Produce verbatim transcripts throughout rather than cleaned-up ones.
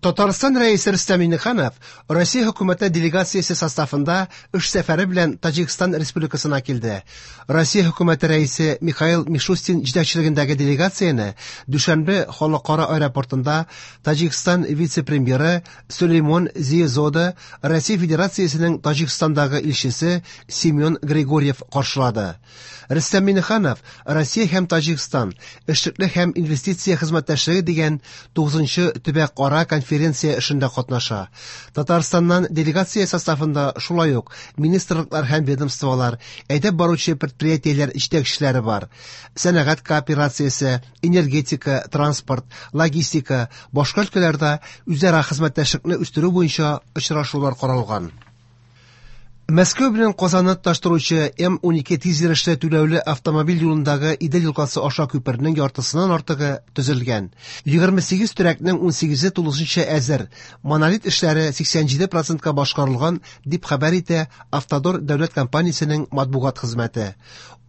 Татарстан Рәисе Рөстәм Миңнеханов Россия хөкүмәте делегациясе составында эш сәфәре белән Таҗикстан Республикасына килде. Россия хөкүмәте рәисе Михаил Мишустин җитәкчелегендәге делегацияне Дүшәнбе халыкара аэропортында Таҗикстан вице-премьеры Сулеймон Зиезода, Россия Федерациясенең Таҗикстандагы илчесе Семен Григорьев каршылады. Рөстәм Миңнеханов Россия һәм Таҗикстан эшлекле һәм инвестиция хезмәттәшлеге дигән тугызынчы төбәкара конференция эшендә катнаша. Татарстаннан делегация составында шулай ук министрлыклар һәм ведомстволар, әйдәп баручы предприятиеләр җитәкчеләре бар. Сәнәгать кооперациясе, энергетика, транспорт, логистика, башка өлкәләрдә үзара хезмәттәшлекне үстерү буенча очрашулар каралган. Мәскәү белән Казанны тоташтыручы М унике тиз йөрешле түләүле автомобиль юлындагы Идел елгасы аша күпернең яртысыннан артыгы төзелгән. Егерме сигез төрәкнең унсигезе тулысынча әзер. Монолит эшләре сиксән җиде процентка башкарылган, дип хәбәр итә Автодор дәүләт компаниясенең матбугат хезмәте.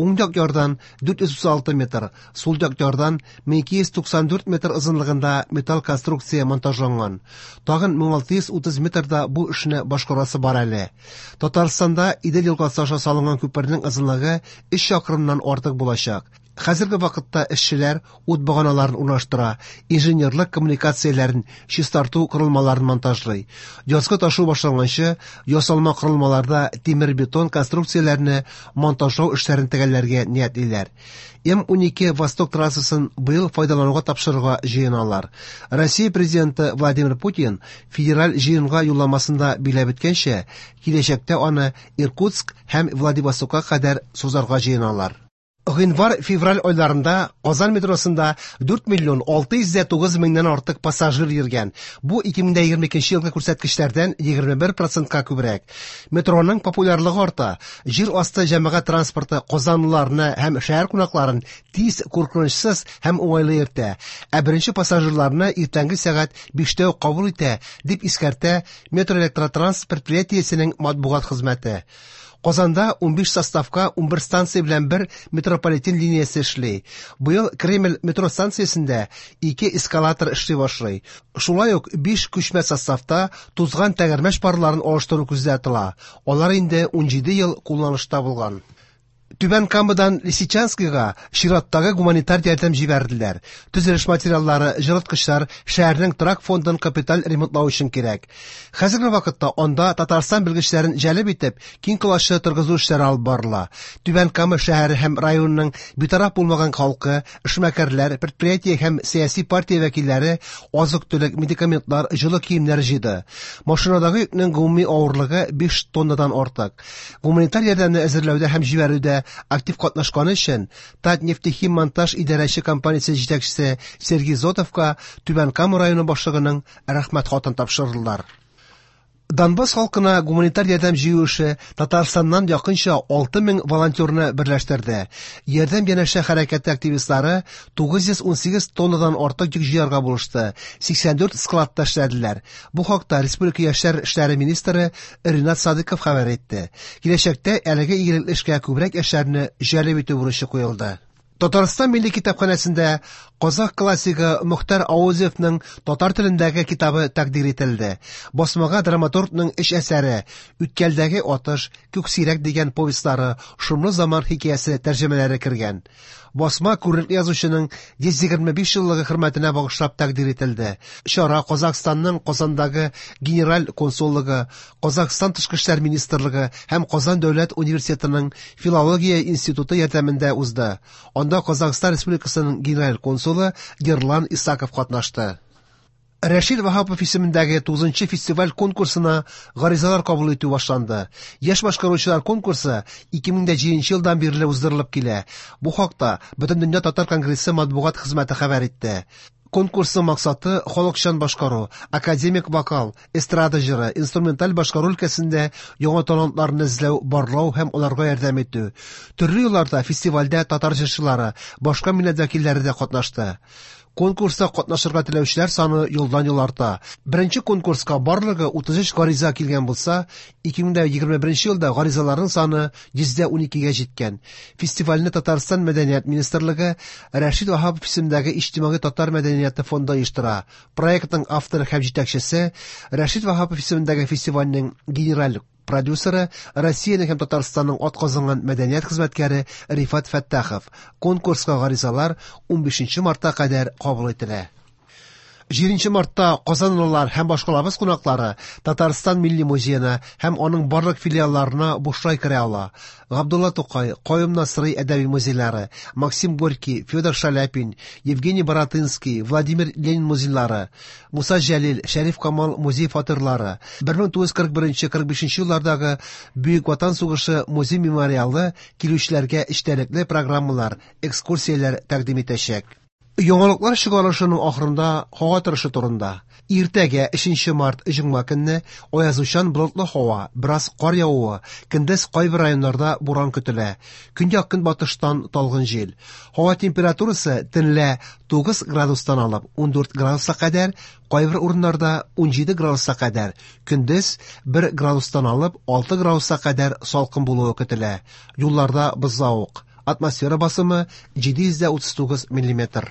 Уң як ярдан дүрт йөз утыз алты метр, сул як ярдан мең ике йөз туксан дүрт метр озынлыгында металл конструкция монтажланган. Тагын мең алты йөз утыз метрда бу эшне башкарасы бар әле. Татарстанда Идел елгасы аша салынган күпернең озынлыгы өч чакрымнан артык булачак. Хәзерге вакытта эшчеләр ут баганаларын урнаштыра, инженерлык коммуникацияләрен чистарту корылмаларын монтажлый. Язгы ташу башланганчы ясалма корылмаларда тимер-бетон конструкцияләрне монтажлау эшләрен төгәлләргә ниятлиләр. М унике Восток трассасын быел файдалануга тапшырырга җыеналар. Россия президенты Владимир Путин федераль җыенга юлламасында билгеләп үткәнчә, киләчәктә аны Иркутск һәм Владивостокка кадәр сузарга җыеналар. Гыйнвар-февраль айларында Казан метросында дүрт миллион алты йөз дә тугыз меңнән артык пассажир йөргән. Бу ике мең дә егерме икенче елгы күрсәткечләрдән егерме бер процентка күбрәк. Метроның популярлыгы арта. Җир асты җәмәгать транспорты казанлыларны һәм шәһәр кунакларын тиз, куркынычсыз һәм уңайлы йөртә. Ә беренче пассажирларны иртәнге сәгать биштә үк кабул итә, дип искәртә Метроэлектротранс предприятиесенең матбугат хезмәте. Казанда унбиш составка унбер станция белән бер метрополитен линиясе эшли. Быел Кремль метро станциясендә ике эскалатор эшли башлый. Шулай ук биш күчмә составта тузган тәгәрмәч парларын алыштыру күздә тотыла. Алар инде унҗиде ел кулланышта булган. Түбән Камадан Лисичанскига чираттагы гуманитар ярдәм җибәрделәр. Төзелеш материаллары, җылыткычлар шәһәрнең торак фондын капиталь ремонтлау өчен кирәк. Хәзерге вакытта анда Татарстан белгечләрен җәлеп итеп, киң колачлы торгызу эшләре алып барыла. Түбән Кама шәһәре һәм районының битараф булмаган халкы, эшмәкәрләр, предприятие һәм сәяси партия вәкилләре азык-төлек, медикаментлар, җылы киемнәр җыйды. Машинадагы йөкнең гомуми авырлыгы биш тоннадан артык. Гуманитар ярдәмне әзерләүдә һәм җибәрүдә актив катнашканы өчен Татнефтехиммонтаж идарәче компаниясе җитәкчесе Сергей Зотовка Түбән Кама районы башлыгының рәхмәт хатын тапшырдылар. Донбасс халкына гуманитар ярдәм җыю эше Татарстаннан якынча алты мең волонтерны берләштерде. Ярдәм янәшә хәрәкәте активистлары тугыз йөз унсигез тоннадан артык йөк җыярга булышты. Сиксән дүрт складта эшләделәр. Бу хакта Республика яшьләр эшләре министры Ринат Садыков хәбәр итте. Киләчәктә әлеге игелекле эшкә күбрәк яшьләрне җәлеп итү бурычы куелды. Татарстан Милли китапханәсендә казах классигы Мөхтәр Ауэзовның татар телендәге китабы тәкъдир ителде. Басмага драматургның өч әсәре Үткәлдәге атыш, Күксирәк дигән повестлары, Шомлы заман хикәясе тәрҗемәләре кергән. Басма күренекле язучының йөз егерме биш еллыгы хөрмәтенә багышлап тәкъдир ителде. Чара Казахстанның Казандагы генераль консуллыгы, Казахстан тышкы эшләр министрлыгы һәм Казан дәүләт университетының филология институты ярдәмендә узды. Анда Казахстан Республикасының генераль консулы Ерлан Исаков катнашты. Рәшит Ваһапов исемендәге тугызынчы фестиваль конкурсына гаризалар кабул итү башланды. Яшь башкаручылар конкурсы ике мең дә җиденче елдан бирле уздырылып килә. Бу хакта Бөтендөнья татар конгрессы матбугат хезмәте хәбәр итте. Конкурсның максаты халыкчан башкару, академик вокал, эстрада җыры, инструменталь башкару өлкәсендә яңа талантларны эзләү, барлау һәм аларга ярдәм итү. Төрле елларда фестивальдә татар җырчылары, башка милләт вәкилләре дә катнашты. Конкурста катнашырга теләүчеләр саны елдан-ел арта. Беренче конкурска барлыгы утыз өч гариза килгән булса, ике мең егерме беренче елда гаризаларның саны йөздә уникегә җиткән. Фестивальне Татарстан Мәдәният министрлыгы Рәшит Ваһапов исемендәге Иҗтимагый татар мәдәнияте фонды оештыра. Проектның авторы һәм җитәкчесе Рәшит Ваһапов исемендәге фестивальнең генераль продюсеры Россиянең һәм Татарстанның атказанган мәдәният хезмәткәре Рифат Фәттахов. Конкурска гаризалар унбишенче мартка кадәр кабул ителә. Җиденче мартта казанлылар һәм башкалабыз кунаклары Татарстан Милли музеена һәм аның барлык филиалларына бушлай керә ала. Габдулла Тукай, Каюм Насыйри әдәби музейлары, Максим Горький, Федор Шаляпин, Евгений Баратынский, Владимир Ленин музейлары, Муса Җәлил, Шәриф Камал музей фатирлары, бер мең тугыз йөз кырык беренче кырык бишенче еллардагы Бөек Ватан сугышы музей мемориалы килүчеләргә эчтәлекле программалар, экскурсияләр тәкъдим итәчәк. Яңалыклар чыгарылышының ахырында һава торышы турында. Иртәгә өченче март җомга көнне аязучан болытлы һава, бераз кар явуы, көндез кайбер районнарда буран көтелә. Көньяк көнбатыштан талгын җил. Һава температурасы төнлә тугыз градустан алып ундүрт градуска кадәр, кайбер урыннарда унҗиде градуска кадәр, көндез бер градустан алып алты градуска кадәр салкын булуы көтелә. Юлларда бозлавык. Атмосфера басымы җиде йөз дә утыз тугыз миллиметр.